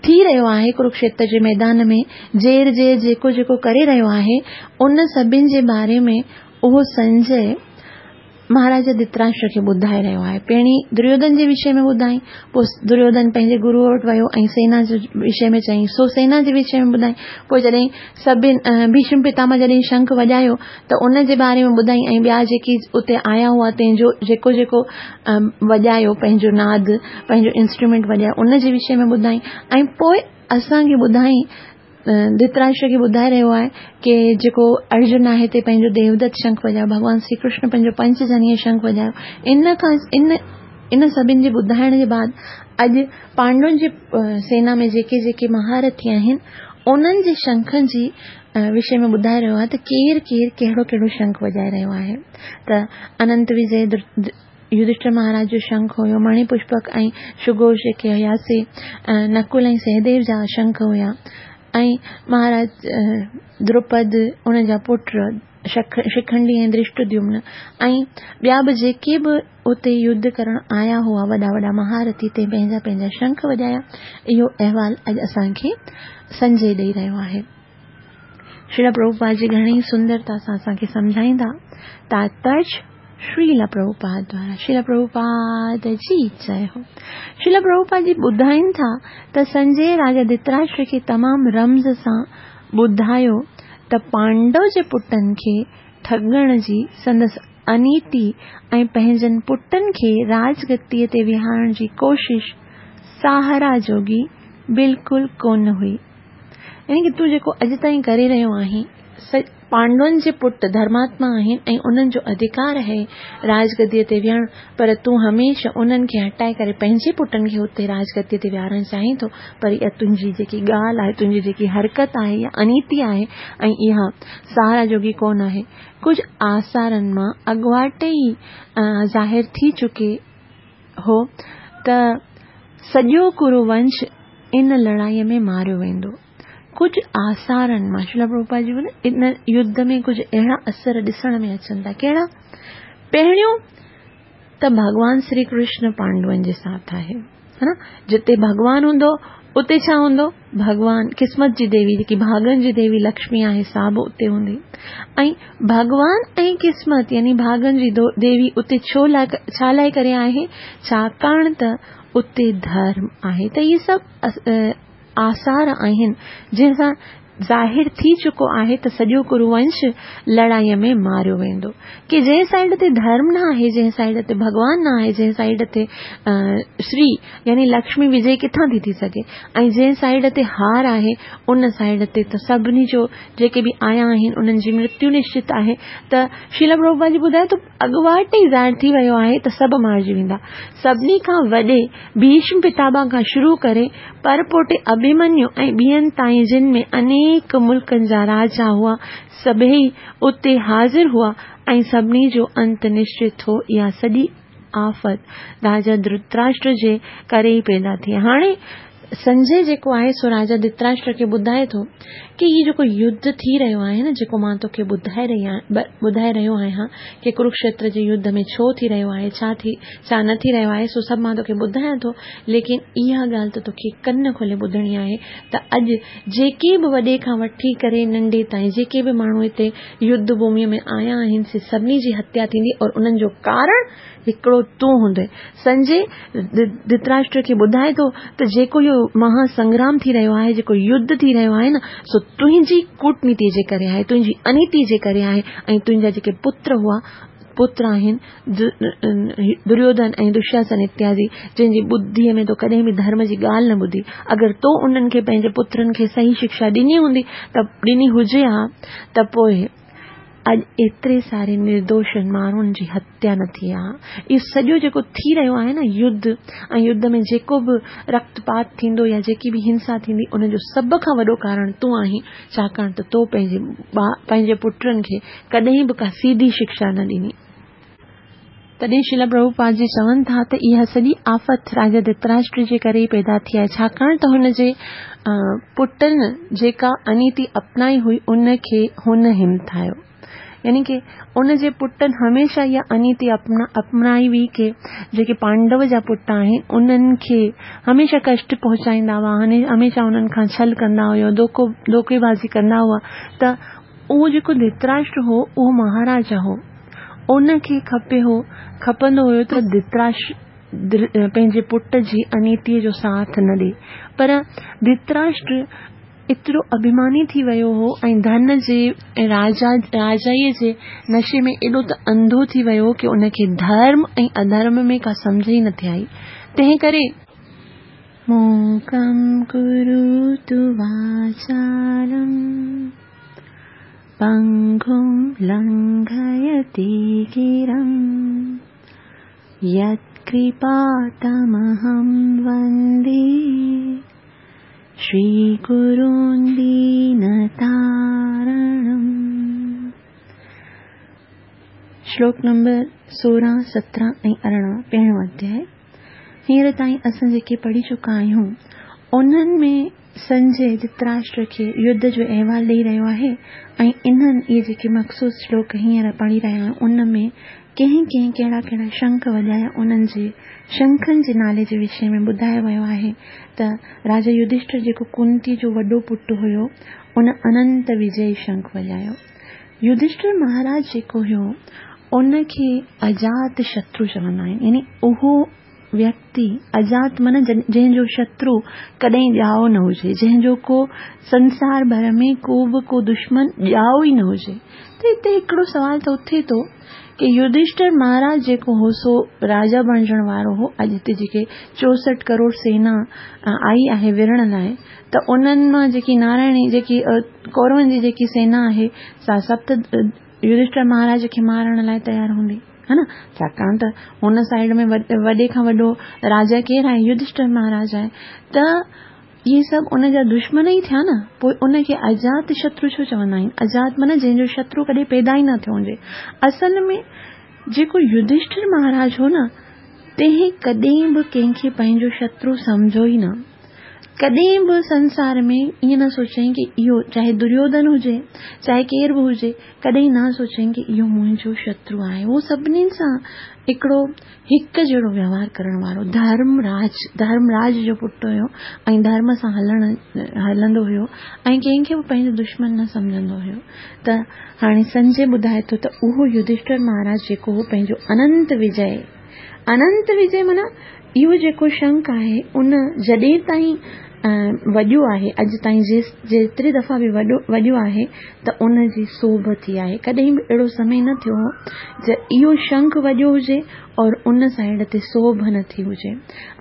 ٿي رهيو آهي ڪروڪشيتر جي ميدان ۾ زير زير جيڪو جيڪو ڪري رهيو آهي ان سڀن جي باري ۾ اهو سنجي مهاراجا ڌرتراشٽر کي ٻڌائي رهيو آهي. پهرين دريوڌن جي وشي ۾ ٻڌائين، پوء دريوڌن پنهنجي گروء وٽ ويو ۽ سينا جي وشي ۾ چيائين، سو سينا جي وشي ۾ ٻڌائين. پوء جڏهن سڀن ڀيشم پتامه جڏهن شنک وڄايو ته ان جي باري ۾ ٻڌائين ۽ ٻيا جيڪي اتي آيا هئا تنهن جو جيڪو جيڪو وڄايو پنهنجو ناد، پنهنجو انسٽرومينٽ وڄايو ان جي وشي ۾ ٻڌائين ۽ پوء اسان کي ٻڌائين ڌرتراشٽر کي ٻڌائي رهيو آهي ڪي جيڪو ارجن آهي تي پنهنجو ديودت شنک وڄايو ڀڳوان شري ڪرشن پنهنجو پنچ جنيه شنک وڄايو ان کان ان ان سڀن جي ٻڌائڻ جي بعد اڄ پانڊون جي سينا ۾ جيڪي جيڪي مهارٿي آهن انهن جي شنکن جي وشي ۾ ٻڌائي رهيو آهي ته ڪير ڪير ڪهڙو ڪهڙو شنک وڄائي رهيو آهي ته اننت وجي يڌشٺر مهاراج جو شنک هيو، مڻي پشپڪ ۽ شگوش جيڪي هيا سي نڪل ۽ سهديو جا شنک هيا ۽ مهاراج دروپد ان جا پٽ شکنڊي ۽ ڌرشٽديومن ۽ ٻيا به جيڪي به اتي يڌ ڪرڻ آيا هئا وڏا وڏا مهارٿي تي پنهنجا پنهنجا شنک وڄايا. اهو احوال اڄ اسان کي سنجي ڏئي رهيو آهي. شريلا پرڀوپاد جي گهڻي ئي سندرتا سان اسان کي سمجهائيندا تاتپرج شريلا پرڀوپاد دوارا شريلا پرڀوپاد جي جئي هو شريلا پرڀوپاد جي ٻڌائين ٿا ته سنجي راجا ڌرتراشٽر کي تمام رمز سان ٻڌايو ته پانڊو جي پٽن کي ٺڳڻ جي سندس انيتي ۽ پنهنجن پٽن کي راجگديء تي ويهارڻ جي ڪوشش ساهرا جوڳي بلڪل ڪونه هئي. يعني ڪي تون جيڪو اڄ تائين ڪري رهيو آهين، پانڊون جي پٽ ڌرماتما آهن ۽ انهن جو اڌڪار آهي راجگديء تي ويهڻ، پر تون هميشه انهن کي هٽائي ڪري پنهنجي پٽن کي اتي راجگديء تي ويهارڻ چاهين ٿو، پر اها تنهنجي جيڪي ڳالهه آهي، تنهنجي جيڪي حرڪت آهي، اها انيتي آهي ۽ اها ساراهه جوڳي ڪونه آهي. ڪجهه آثارن مان اڳواٽ ئي ظاهر ٿي چڪي هو ته سڄو ڪورو ونش ان لڙائيء ۾ ماريو ويندو. ڪجهه آثارن مان شريلا پرڀوپاد جي ان يڌ ۾ ڪجهه اهڙا اثر ڏسڻ ۾ اچن ٿا. ڪهڙا؟ پهريون ته ڀڳوان شري ڪرشن پانڊون جي ساٿ آهي. ها نه؟ جتي ڀڳوان هوندو اتي ڇا هوندو؟ ڀڳوان قسمت جي ديوي جيڪي ڀاڳن جي ديوي لڪشمي آهي سا به اتي هوندي ۽ ڀڳوان ۽ قسمت يعني ڀاڳن جي ديوي اتي ڇو لاء ڇا لاء ڪري آهي؟ ڇاڪاڻ ته اتي ڌرم آهي ته اهي سڀ آثار آهن جنهن سان ظاهر ٿي چڪو آهي ته سڄو ڪرو ونش لڙائيء ۾ ماريو ويندو. ڪي جنهن سائيڊ تي ڌرم نه آهي، جنهن سائيڊ تي ڀڳوان نه آهي، جنهن سائيڊ تي شري يعني لڪشمي وجي ڪٿان ٿي ٿي سگهي ۽ جنهن سائيڊ تي هار آهي ان سائيڊ تي ته سڀني جو جيڪي به آيا آهن انهن جي مرتيو نشچت آهي ته شريلا پرڀوپاد جي ٻڌايو ته اڳواٽ ئي ظاهر ٿي ويو آهي ته سڀ مارجي ويندا. سڀني کان وڏي ڀيشم پتامه کان شروع ڪري پرپوٽي اڀيمنيو ۽ ٻين تائين جن ۾ انيڪ ملڪن جا راجا هئا، سڀيئي اتي حاضر هئا ۽ سڀني جو انت نشچت هو. اها سڄي آفت راجا ڌرتراشٽر جي ڪري ئي پيدا ٿي. هاڻي سنجي جيڪو آهي سو راجا ڌرتراشٽر کي ٻڌائي ٿو ڪي هي جيڪو يڌ ٿي رهيو آهي نه جيڪو مان توکي ٻڌائي رهي ٻڌائي رهيو آهيان ڪي ڪروڪشيتر جي يڌ ۾ ڇو ٿي رهيو آهي ڇا ٿي ڇا نه ٿي رهيو آهي سو سڀ مان توکي ٻڌايان ٿو ليڪن اها ڳالهه ته توکي ڪن کولي ٻڌڻي آهي ته اڄ جيڪي به وڏي کان وٺي ڪري ننڍي تائين جيڪي به ماڻهو هتي يڌ ڀوميء ۾ آيا آهن سي سڀني جي هتيا ٿيندي اور انهن جو ڪارڻ هڪڙو تون هوندين. سنجي ڌرتراشٽر کي ٻڌائي ٿو ته جيڪو اهو مها سنگرام ٿي رهيو آهي، جيڪو يڌ ٿي رهيو آهي نه، سو تنهنجي ڪوٽنيتيء جي ڪري آهي، تنهنجي انيتيء جي ڪري آهي ۽ تنهنجا جيڪي پتر هئا، پتر آهن، دريوڌن ۽ دشاسن اتيادي، جن جي ٻڌيء ۾ تو ڪڏهن به ڌرم جي ڳالهه نه ٻڌي. اگر تو انهن کي پنهنجي پترن کي صحيح شڪشا ڏني هوندي ته ڏني هجي ها ته پوء اڄ ايتري ساري نردوشن ماڻهن جي هتيا نه ٿئي ها. اهو سڄو جيڪو ٿي رهيو آهي نه يڌ ۽ يڌ ۾ جيڪو به رڪت پات ٿيندو يا جيڪي به هنسا ٿيندي ان جو سڀ کان وڏو ڪارڻ تون آهين ڇاڪاڻ ته تو پنهنجي پنهنجي پٽن کي ڪڏهن به ڪا سيڌي شڪشا نه ڏني. تڏهن شريلا پرڀوپاد جي چون ٿا ته اها سڄي آفت راجا ڌرتراشٽر جي ڪري ئي پيدا ٿي آهي ڇاڪاڻ ته هن جي پٽن جيڪا انيتي اپنائي هئي ان کي هن همٿايو يعني ڪي ان جي پٽن هميشه اها انيتي اپنائي هئي ڪي جيڪي پانڊو جا پٽ آهن انهن کي هميشه ڪشٽ پهچائيندا هئا هميشه انهن کان ڇل ڪندا هيا دوکو دوکي بازي ڪندا هئا ته اهو جيڪو ڌرتراشٽر هو اهو مهاراجا هو ان کي کپي هو کپندو هيو ته ڌرتراش پنهنجي پٽ جي انيتيء جو ساٿ نه ڏي پر ڌرتراشٽر ايترو اڀيماني ٿي ويو هو ۽ ڌن جي ۽ راجا راجائيء جي نشي ۾ ايڏو ته انڌو ٿي ويو هو ڪي ان کي ڌرم ۽ اڌرم ۾ ڪا سمجهه ئي نٿي آئي تنهن ڪري موڪم ڪروتو واچالم پنگم لنگهيتي گرم يتڪرپا تمهم وندي شري گرون دينتارڻم. شلوڪ نمبر 16، 17 ۽ 18 پهريون اڌياء. هينئر تائين اسان جيڪي پڙهي چڪا آهيون، انهن ۾ سنجي ڌرتراشٽر کي يڌ جو احوال ڏئي رهيو آهي ۽ انهن اهي جيڪي مخصوص شلوڪ هينئر پڙهي رهيا آهيون، ان ۾ ڪنهن ڪنهن ڪهڙا ڪهڙا شنک وڄايا، انهن جي شنکن جي نالي جي وشي ۾ ٻڌايو ويو آهي ته راجا يڌشٺر جيڪو ڪنتي جو وڏو پٽ هيو، ان اننت وجئي شنک وڄايو. يڌشٺر مهاراج جيڪو هيو ان کي اجات شترو چوندا آهن يعني اهو ويڪتي اجات معنيٰ جنهن جو شترو ڪڏهن ڄائو نه هجي جنهن جو ڪو سنسار ڀر ۾ ڪو به ڪو دشمن ڄائو ئي نه هجي ته هتي هڪڙو سوال ته اٿي ٿو ڪي يڌشٺر مهاراج جيڪو هو سو راجا بڻجڻ وارو هو اڄ هتي جيڪي 64 ڪروڙ سينا آئي آهي وڙهڻ لاء ته انهن مان جيڪي نارائڻي جيڪي ڪورون جي جيڪي سينا آهي سا سڀ ته يڌشٺر مهاراج کي مارڻ لاء تيار هوندي ها نه ڇاڪاڻ ته هن سائيڊ ۾ وڏي کان وڏو راجا ڪير آهي يڌشٺر مهاراج آهي ته اهي سڀ ان جا دشمن ئي ٿيا نه پوء ان کي اجات شترو ڇو چوندا آهن اجات معنيٰ جنهن جو شترو ڪڏهن پيدا ئي نه ٿيو هجي اصل ۾ جيڪو يڌشٺر مهاراج هو نه تنهن ڪڏهن به ڪنهن کي پنهنجو شترو سمجهيو ئي نه ڪڏهن به سنسار ۾ ائين نه سوچيائين ڪي اهو چاهي دريوڌن هجي چاهي ڪير به هجي ڪڏهن نه سوچيائين ڪي اهو منهنجو شترو آهي هو سڀني سان هڪڙو هڪ جهڙو ويوهار ڪرڻ وارو ڌرم راج ڌرم راج جو پٽ هيو ۽ ڌرم سان هلڻ هلندو هيو ۽ ڪنهن کي به پنهنجو دشمن نه سمجهندو هيو ته هاڻي سنجي ٻڌائي ٿو ته اهو يڌشٺر مهاراج جيڪو هو پنهنجو اننت وجي اننت وجي معنيٰ اهو جيڪو شنک آهي ان جڏهن تائين وڄيو آهي، اڄ تائين جيتري دفعا به وڏو وڄيو آهي ته ان جي سوڀ ٿي آهي. ڪڏهن به اهڙو سمي نه ٿيو هو جي اهو شنک وڄيو هجي اور ان سائيڊ تي سوڀ نه ٿي هجي.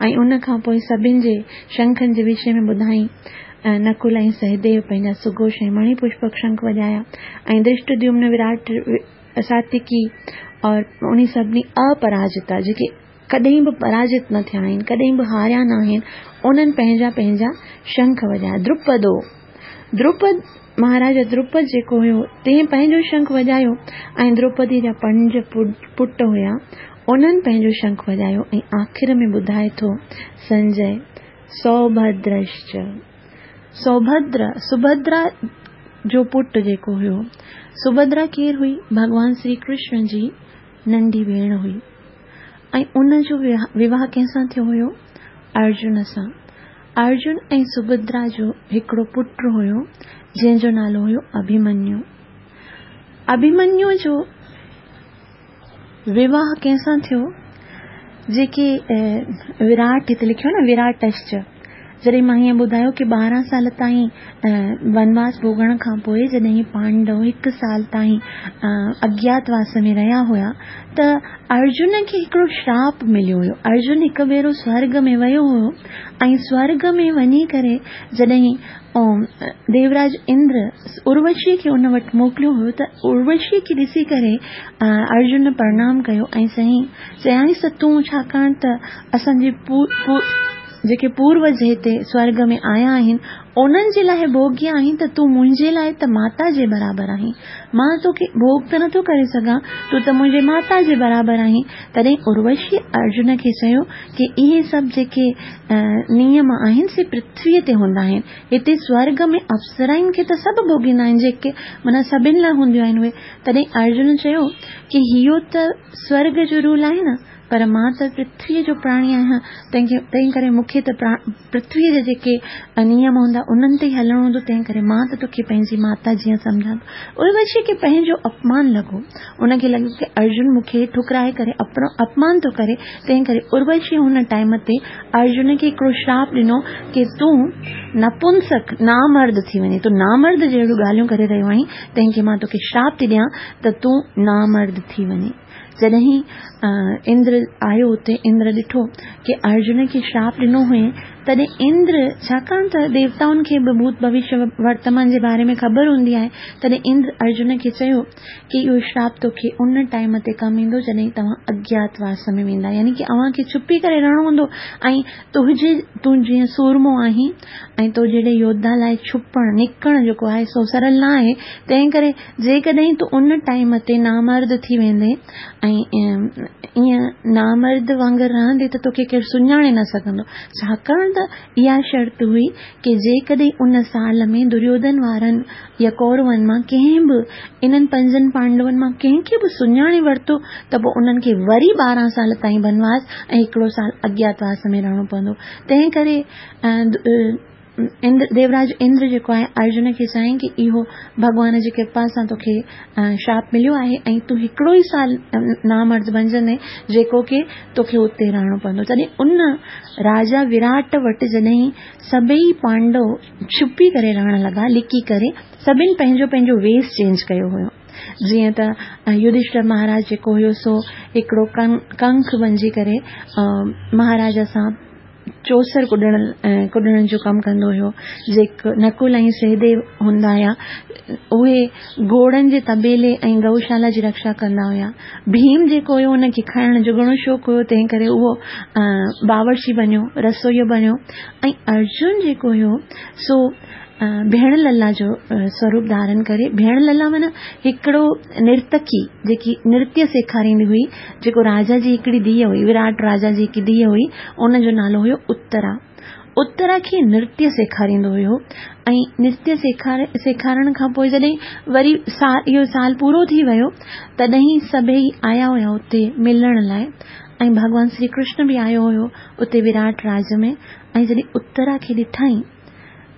۽ ان کان پوء سڀن جي شنکن جي وشي ۾ ٻڌائين. نڪل ۽ سهديو پنهنجا سگهوش ۽ مڻي پشپڪ شنک وڄايا ۽ درشٽديومن وراٽ ساتيڪي اور انهي سڀني اپراجتا جيڪي ڪڏهن به پراجت نه ٿيا آهن، ڪڏهن به هاريا نه آهن، انهن پنهنجا پنهنجا شنک وڄايا. دروپدو، دروپد، مهاراجا دروپد جيڪو هيو، تنهن پنهنجو شنک وڄايو ۽ دروپدي جا پنج پٽ هيا، انهن پنهنجو شنک وڄايو ۽ آخر ۾ ٻڌائي ٿو سنجي، سوڀدرشچ، سوڀدر، سڀدرا جو پٽ جيڪو هيو، سڀدرا ڪير هئي؟ ڀڳوان شري ڪرشن جي ننڍي ڀيڻ هئي. ۽ ان جو وواهه ڪنهن سان ٿيو هيو؟ ارجن سان. ارجن ۽ سڀدرا جو هڪڙو پٽ هيو، جنهن جو نالو هيو اڀيمنيو. اڀيمنيو جو وواهه ڪنهن سان ٿيو؟ جيڪي وراٽ هتي لکيو آهي نه وراٽشچ. جڏهن مان هيئن ٻڌايو ڪي 12 سال تائين ونواس ڀوڳڻ کان پوء جڏهن پانڊو هڪ سال تائين اگيات واس ۾ رهيا هيا ته ارجن کي هڪڙو شراپ مليو هيو. ارجن هڪ ڀيرو سورڳ ۾ ويو هيو ۽ سورڳ ۾ وڃي ڪري جڏهن ديوراج اندر اروشي کي ان وٽ موڪليو هيو ته اروشي کي ڏسي ڪري ارجن پرنام ڪيو ۽ چيائينس ته تون ڇاڪاڻ ته اسان جي جيڪي پوروج هتي سورڳ ۾ آيا آهن، انهن جي لاء ڀوڳي آهين ته تون منهنجي لاء ته ماتا جي برابر آهين. مان توکي ڀوڳ ته نٿو ڪري سگهان، تون ته منهنجي ماتا جي برابر آهين. تڏهن اروشيء ارجن کي چيو ڪي اهي سڀ جيڪي نيم آهن سي پرٿويء تي هوندا آهن. هتي سورڳ ۾ اپسرائن کي ته سڀ ڀوڳيندا آهن، جيڪي معنيٰ سڀن لاء هونديون آهن اهي. تڏهن ارجن چيو ڪي اهو ته سورڳ جو رول آهي نه. پر مان ته پرٿويء جو پراڻي آهيان، تنهن ڪري مون کي ته پرٿويء جا جيڪي نيم هوندا، انهن تي ئي هلڻو هوندو، تنهن ڪري مان ته توکي پنهنجي ماتا جيان سمجهان ٿو. اروشيء کي پنهنجو اپمان لڳو. ان کي لڳو ته ارجن مون کي ٺڪرائي ڪري اپمان ٿو ڪري، تنهن ڪري اروشيء ان ٽائيم تي ارجن کي هڪڙو شراپ ڏنو ڪي تون نپنسڪ، نامرد، ٿي وڃين، تون نامرد جهڙيون ڳالهيون ڪري رهيو آهين، تنهن کي مان توکي شراپ ٿي ڏيان ته تون نامرد ٿي وڃين. جڏهن اندر آيو اتي اندر ڏٺو ڪي ارجن کي شراپ ڏنو هئين تڏهن اندر ڇاڪاڻ ته ديوتائن کي به ڀوت ڀوشيه ورتمان جي باري ۾ خبر هوندي آهي تڏهن اندر ارجن کي چيو ڪي اهو شراپ توکي ان ٽائيم تي ڪم ايندو جڏهن توهان اگيات واس ۾ ويندا يعني ڪي اوهان کي ڇپي ڪري رهڻو هوندو ۽ تنهنجي تون جيئن سورمو آهين ۽ تو جهڙي يوڌا لاء ڇپڻ نڪڻ جيڪو آهي سو سرل نه آهي تنهن ڪري جيڪڏهن تون ان ٽائيم تي نامرد ٿي ويندين ۽ ائين نامرد وانگر رهندين ته توکي ڪير سڃاڻي نه سگهندو. ڇاڪاڻ ته اها شرط هئي ڪي جيڪڏهن ان سال ۾ دريوڌن وارن يا ڪورون مان ڪنهن به انهن پنجن پانڊون مان ڪنهن کي به سڃاڻي ورتو ته پوء انهن کي وري 12 سال تائين بنواس ۽ هڪڙو سال اگياتواس ۾ رهڻو پوندو. تنهن ڪري اندر ديوراج اندر جيڪو آهي ارجن کي چيائين ڪي اهو ڀڳوان جي ڪرپا سان توکي شراپ مليو آهي ۽ تون هڪڙو ئي سال نامرد بنجندين جيڪو ڪي توکي اتي رهڻو پوندو تڏهن ان راجا وراٽ وٽ جڏهن سڀئي پانڊو ڇپي ڪري رهڻ لڳا لڪي ڪري سڀن پنهنجو پنهنجو ويس چينج ڪيو هيو جيئن ته يڌشٽر مهاراج جيڪو هيو سو هڪڙو ڪنک بنجي ڪري مهاراجا سان چوسر ڪڏڻ ڪڏڻ جو ڪم ڪندو هيو. جيڪ نڪل ۽ سهديو هوندا هيا اهي گهوڙن جي طبيلي ۽ گئوشالا جي رڪشا ڪندا هيا. ڀيم جيڪو هيو ان کي کائڻ جو گهڻو شوق هيو تنهن ڪري اهو باورچي بنيو رسوئيو بنيو ۽ ارجن جيڪو هيو سو ڀيڻ للا جو سوروپ ڌارن ڪري، ڀيڻ للا معنيٰ هڪڙو نرتڪي جيڪي نرتيه سيکاريندي هئي، جيڪو راجا جي هڪڙي ڌيء هئي، وراٽ راجا جي هڪ ڌيء هئي، ان جو نالو هيو اترا. اترا کي نرتيه سيکاريندو هيو ۽ نرتيه سيکارڻ کان پوء جڏهن وري اهو سال پورو ٿي ويو تڏهن سڀئي آيا هيا اتي ملڻ لاء ۽ ڀڳوان شري ڪرشن به آيو هيو اتي وراٽ راج ۾ ۽ جڏهن اترا کي ڏٺائين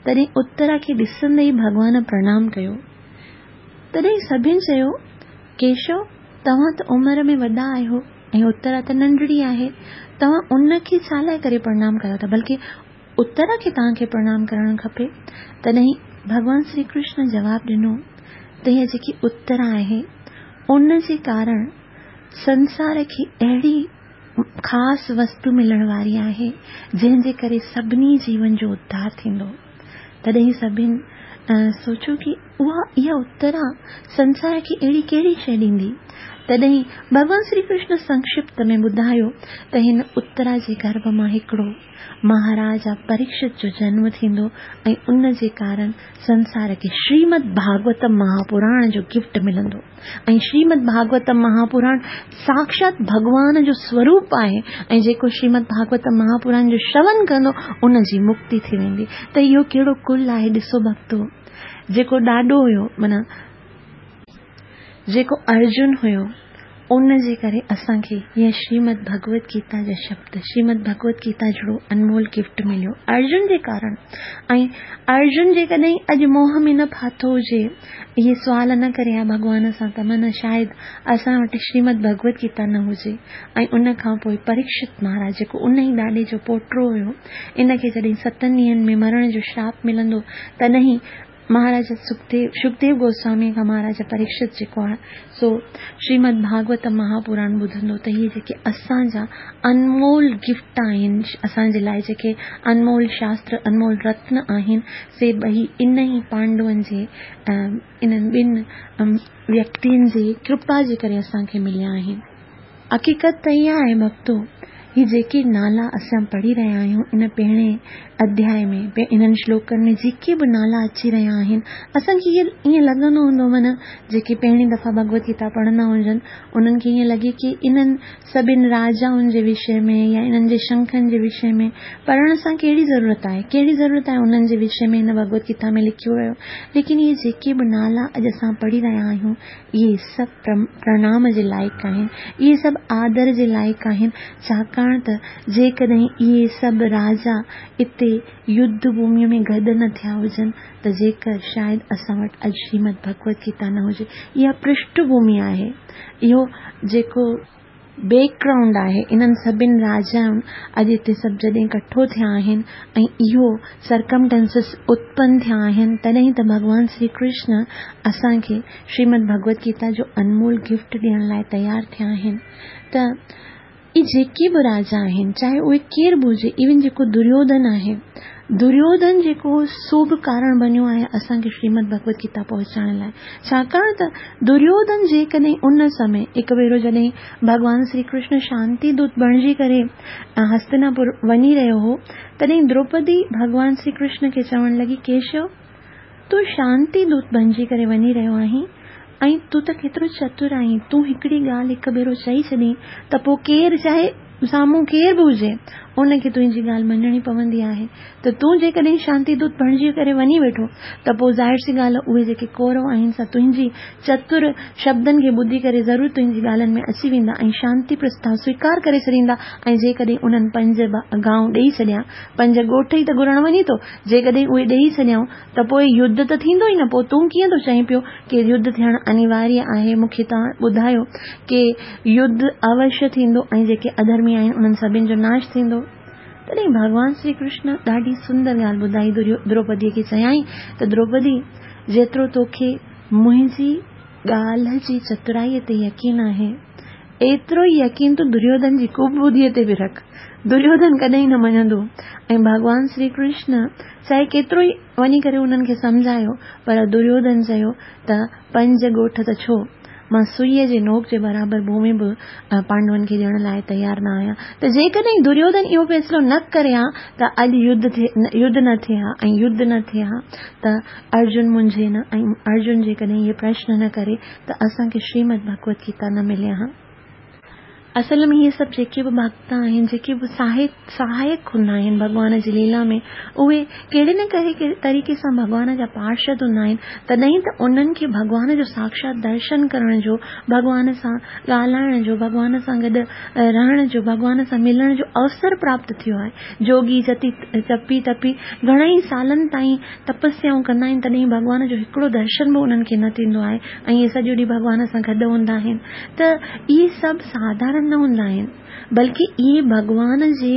تڏهن اترا کي ڏسندي ئي ڀڳوان پرڻام ڪيو. تڏهن سڀن چيو، ڪيشو، توهان ته عمر ۾ وڏا آهيو ۽ اترا ته ننڍڙي آهي، توهان ان کي ڇا لاء ڪري پرڻام ڪيو ٿا؟ بلڪه اترا کي توهان کي پرڻام ڪرڻ کپي. تڏهن ڀڳوان شري ڪرشن جواب ڏنو ته هيء جيڪي اترا آهي، ان جي ڪارڻ سنسار کي اهڙي خاص وستو ملڻ واري آهي، جنهن جي ڪري سڀني جيون جو اڌار ٿيندو. تڏهن سڀن سوچيو ڪي اها اها اترا سنسار کي اهڙي ڪهڙي شيء ڏيندي؟ تڏهن ڀڳوان شري ڪرشن سنڪشپت ۾ ٻڌايو ته هن اترا جي گرڀ مان هڪڙو مهاراجا پريڪشت جو جنم ٿيندو ۽ ان جي ڪارڻ سنسار کي شريمد ڀاڳوتم مهاپراڻ جو گفٽ ملندو ۽ شريمد ڀاڳوتم مهاپراڻ ساڪشات ڀڳوان جو سوروپ آهي ۽ جيڪو شريمد ڀاڳوتم مهاپراڻ جو شرون ڪندو ان جي مڪتي ٿي ويندي ته اهو ڪهڙو ڪل آهي ڏسو ڀڳتو جيڪو ڏاڏو هيو معنيٰ جيڪو ارجن هيو ان جي ڪري اسان کي هيء شريمد ڀڳوت گيتا جا شبد، شريمد ڀڳوت گيتا جھڙو انمول گفٽ مليو ارجن جي ڪارڻ ۽ ارجن جيڪڏهن اڄ موهه ۾ نه ڦاٿو هجي، اهي سوال نه ڪري ها ڀڳوان سان ته من شايد اسان وٽ شريمد ڀڳوت گيتا نه هجي ۽ ان کان پوء پريڪشت مهاراج جيڪو ان ئي ڏاڏي جو پوٽو هيو ان کي جڏهن ستن ڏينهن ۾ مرڻ جو شراپ ملندو تڏهن مهاراجا سکديو، شڪديو گوسواميء کان مهاراجا پريڪشت جيڪو آهي سو شريمد ڀاڳوتم مهاپراڻ ٻڌندو ته اهي جيڪي اسان جا انمول گفٽ آهن، اسان جي لاء جيڪي انمول شاستر، انمول رتن آهن، سي ٻئي ان ئي پانڊون جي انهن ٻن ويڪتين جي ڪرپا جي ڪري اسان کي مليا آهن. حقيقت ته اها آهي ڀڳتو، هي جيڪي نالا اسان پڙهي رهيا آهيون ان پهرين اڌياء ۾، انهن شلوڪن ۾ جيڪي به نالا اچي رهيا آهن، اسان کي ائين لڳندو هوندو معنيٰ جيڪي پهرين دفعا ڀڳوت گيتا پڙهندا هجن، انهن کي ائين لڳي ڪي انهن سڀن راجائن جي وشي ۾ يا انهن جي شنکن جي وشي ۾ پڙهڻ سان ڪهڙي ضرورت آهي، ڪهڙي ضرورت آهي انهن جي وشي ۾ هن ڀڳوت گيتا ۾ لکيو ويو، ليڪن اهي جيڪي به نالا اڄ اسان پڙهي رهيا آهيون، اهي سڀ پرڻام جي لائق آهن، اهي سڀ آدر جي لائق آهن، ڇاڪاڻ ته جيڪڏهن اهي سڀ راجا اتي يڌ ڀوميء ۾ گڏ نه ٿيا هجن ته جيڪر شايد اسان وٽ اڄ شريمد ڀڳوت گيتا نه هجي. اها پرشٺ ڀومي آهي. اهو جيڪو. بيڪ گرائونڊ آهي انهن سڀن راجائن اڄ هتي سڀ جڏهن ڪٺو ٿيا آهن ۽ اهو سرڪمٽنسز اتپن ٿيا آهن تڏهن ته ڀڳوان شري ڪرشن اسان کي شريمد ڀڳوت گيتا جو انمول گفٽ ڏيڻ لاء تيار ٿيا آهن ته اهي جيڪي به راجا آهن چاهي اهي ڪير به هجي ايون جيڪو دريوڌن آهي دريوڌن جيڪو هو سو به ڪارڻ بنيو آهي اسان کي شريمد ڀڳوت گيتا پهچائڻ لاء. ڇاڪاڻ ته دريوڌن جيڪڏهن ان سمي هڪ ڀيرو جڏهن ڀڳوان شري ڪرشن شانتي دوت بڻجي ڪري هستناپور وڃي رهيو هو تڏهن دروپدي ڀڳوان شري ڪرشن کي چوڻ لڳي ڪيشو! تون شانتي دوت بڻجي ڪري وڃي رهيو آهين ۽ تون ته ڪيترو چتر آهين تون هڪڙي ڳالهه هڪ ڀيرو چئي ڇڏين ته پوء ڪير چاهي سامهون ڪير به هجي، ان کي تنهنجي ڳالهه مڃڻي پوندي آهي ته تون جيڪڏهن شانتي دوت بڻجي ڪري وڃي ويٺو ته پوء ظاهر سي ڳالهه اهي جيڪي ڪورو آهن سا تنهنجي چتر شبدن کي ٻڌي ڪري ضرور تنهنجي ڳالهن ۾ اچي ويندا ۽ شانتي پرستاء سويڪار ڪري ڇڏيندا ۽ جيڪڏهن انهن پنج گانء ڏيئي ڇڏيا، پنج ڳوٺ ئي ته گهرڻ وڃي ٿو، جيڪڏهن اهي ڏيئي ڇڏيائون ته پوء يڌ ته ٿيندو ئي نه، پوء تون ڪيئن ٿو چئين پيو ڪي يڌ ٿيڻ انيواريه آهي، مون کي توهان ٻڌايو ڪي يڌ اوشيه ٿيندو ۽ جيڪي اڌرمي آهن انهن سڀن جو ناش ٿيندو. تڏهن ڀڳوان شري ڪرشن ڏاڍي سندر ڳالهه ٻڌائي دروپديء کي چيائين ته دروپدي! جيترو توکي منهنجي ڳالهه جي چترائيء تي يقين آهي، ايترو ئي يقين تون دريوڌن جي ڪوبڌيء تي به رک. دريوڌن ڪڏهن نه مڃندو ۽ ڀڳوان شري ڪرشن چاهي ڪيترو ئي وڃي ڪري انهن کي سمجهايو پر دريوڌن چيو ته پنج ڳوٺ ته ڇو، مان سئيء جي نوڪ جي برابر ڀومي به پانڊون کي ڏيڻ لاء تيار نه آهيان ته جيڪڏهن دريوڌن اهو فيصلو نه ڪري ها ته اڄ يڌ نه ٿئي ها ۽ يڌ نه ٿئي ها ته ارجن منجهي نه ۽ ارجن جيڪڏهن اهي پرشن نه ڪري ته اسان کي شريمد ڀڳوت گيتا نه ملي ها. اصل ۾ اهي سڀ جيڪي به ڀڳت آهن، جيڪي به سهائڪ هوندا آهن ڀڳوان جي ليلا ۾، اهي ڪهڙي نه ڪهڙي طريقي سان ڀڳوان جا پارشد هوندا آهن، تڏهن ته انهن کي ڀڳوان جو ساڪشات درشن ڪرڻ جو، ڀڳوان سان ڳالهائڻ جو، ڀڳوان سان گڏ رهڻ جو، ڀڳوان سان ملڻ جو اوسر پراپت ٿيو آهي. جوڳي جتي جپي تپي گهڻائي سالن تائين تپسيائون ڪندا آهن تڏهن ڀڳوان جو هڪڙو درشن به انهن کي نه ٿيندو آهي ۽ اهي سڄو ڏينهن ڀڳوان سان گڏ هوندا آهن ته اهي سڀ ساڌارڻ نه هوندا آهن، بلڪه اهي ڀڳوان جي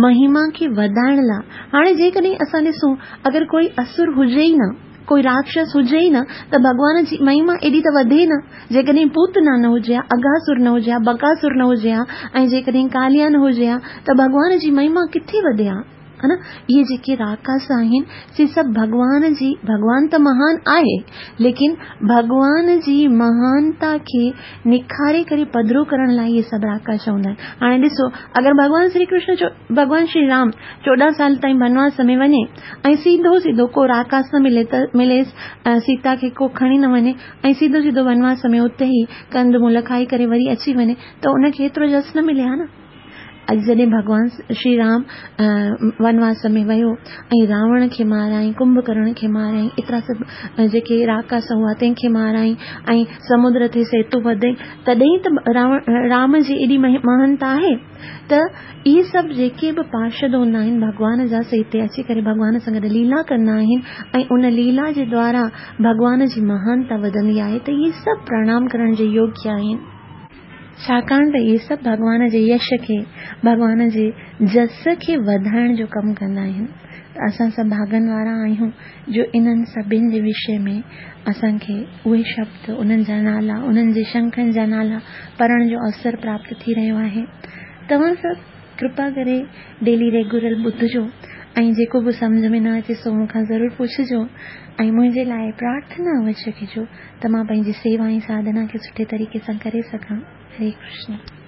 مهما کي وڌائڻ لاء، هاڻي جيڪڏهن اسان ڏسون اگر ڪوئي اسر هجي ئي نه، ڪوئي راڪشس هجي ئي نه ته ڀڳوان جي مهما ايڏي ته وڌي نه، جيڪڏهن پوتنا نه هجي ها، اگهاسر نه هجي ها، بڪاسر نه هجي ها ۽ جيڪڏهن ڪاليا نه هجي ها ته ڀڳوان جي مهما ڪٿي وڌي ها؟ ها نه اهي جيڪي راڪاس آهن سي سڀ ڀڳوان جي ڀڳوان ته مهان آهي ليڪن ڀڳوان جي مهانتا کي نکاري ڪري پڌرو ڪرڻ لاء اهي سڀ راڪاس هوندا آهن هاڻي ڏسو اگر ڀڳوان شري ڪرشن جو ڀڳوان شري رام 14 سال تائين بنواس ۾ وڃي ۽ سيڌو سيڌو ڪو راڪاس نه ملي ته مليس سيتا کي ڪو کڻي نه وڃي ۽ سيڌو سيڌو بنواس ۾ اتي ئي ڪند مول کائي ڪري وري اچي وڃي ته ان کي ايترو جس نه ملي ها نه اڄ جڏهن ڀڳوان شري رام ونواس ۾ ويو ۽ راوڻ کي ماريائين، ڪنڀڪرڻ کي ماريائين، ايترا سڀ جيڪي راڪاس هئا تنهن کي ماريائين ۽ سمنڊ تي سيتو ٻڌائين، تڏهن ته راوڻ رام جي ايڏي مهانتا آهي ته اهي سڀ جيڪي به پارشد هوندا آهن ڀڳوان جا سي هتي اچي ڪري ڀڳوان سان گڏ ليلا ڪندا آهن ۽ ان ليلا جي دوارا ڀڳوان جي مهانتا وڌندي آهي ته اهي سڀ پرڻام ڪرڻ جي يوگيه آهن. ڇاڪاڻ ته اهي سڀ ڀڳوان جي يش کي، ڀڳوان جي جس کي وڌائڻ جو ڪم ڪندا آهن ته اسان سڀ ڀاڳن وارا آهيون جو انهن سڀن جي وشي ۾ اسان کي اهي شبد، انهن جا نالا، انهن جي شنکن جا نالا پڙهڻ جو اوسر پراپت ٿي رهيو آهي. توهان سڀ ڪرپا ڪري ڊيلي ريگيولر ٻڌجو ۽ جيڪو به سمجهه ۾ نه اچي سو مون کان ضرور پڇجو ۽ منهنجي لاء پرارٿنا اوشيه ڪجو ته مان پنهنجي سيوا ۽ ساڌنا کي سٺي طريقي سان ڪري سگهان. هري ڪرشن.